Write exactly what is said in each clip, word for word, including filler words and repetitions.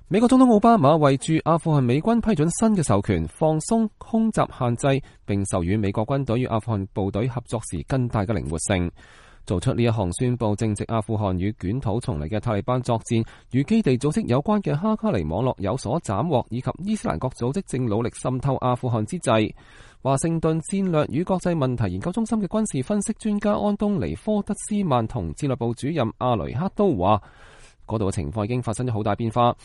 美國總統奧巴馬為駐阿富汗美軍批准新嘅授權，放鬆空襲限制，並授予美國軍隊與阿富汗部隊合作時更大嘅靈活性。做出呢一項宣佈，正值阿富汗與捲土重嚟嘅塔利班作戰與基地組織有關嘅哈卡尼網絡有所斬獲，以及伊斯蘭國組織正努力滲透阿富汗之際，華盛頓戰略與國際問題研究中心嘅軍事分析專家安東尼科德斯曼同戰略部主任阿雷克都話，嗰度嘅情況已經發生咗好大變化。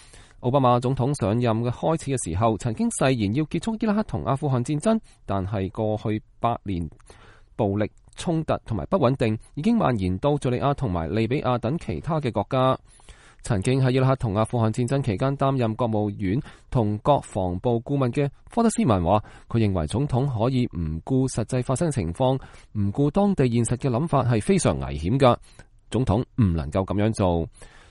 奧巴馬總統上任嘅開始嘅時候，曾經誓言要結束伊拉克同阿富汗戰爭，但係過去八年暴力衝突同埋不穩定已經蔓延到敘利亞同埋利比亞等其他嘅國家。曾經喺伊拉克同阿富汗戰爭期間擔任國務院同國防部顧問嘅科德斯曼話，佢認為總統可以唔顧實際發生嘅情況，唔顧當地現實嘅諗法係非常危險㗎，總統唔能夠咁樣做。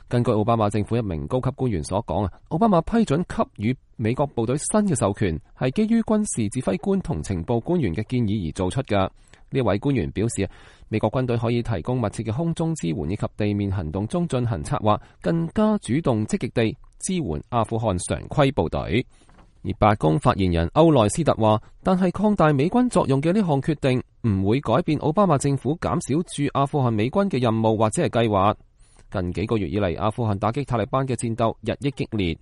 根據奧巴馬政府一名高級官員所講啊，奧巴馬批准給予美國部隊新嘅授權，係基於軍事指揮官同情報官員嘅建議而做出嘅。呢位官員表示，美國軍隊可以提供密切嘅空中支援以及地面行動中進行策劃，更加主動積極地支援阿富汗常規部隊。而白宮發言人歐內斯特話，但係擴大美軍作用嘅呢項決定唔會改變奧巴馬政府減少駐阿富汗美軍嘅任務或者係計劃。近幾個月以嚟，阿富汗打擊塔利班嘅戰鬥日益激烈。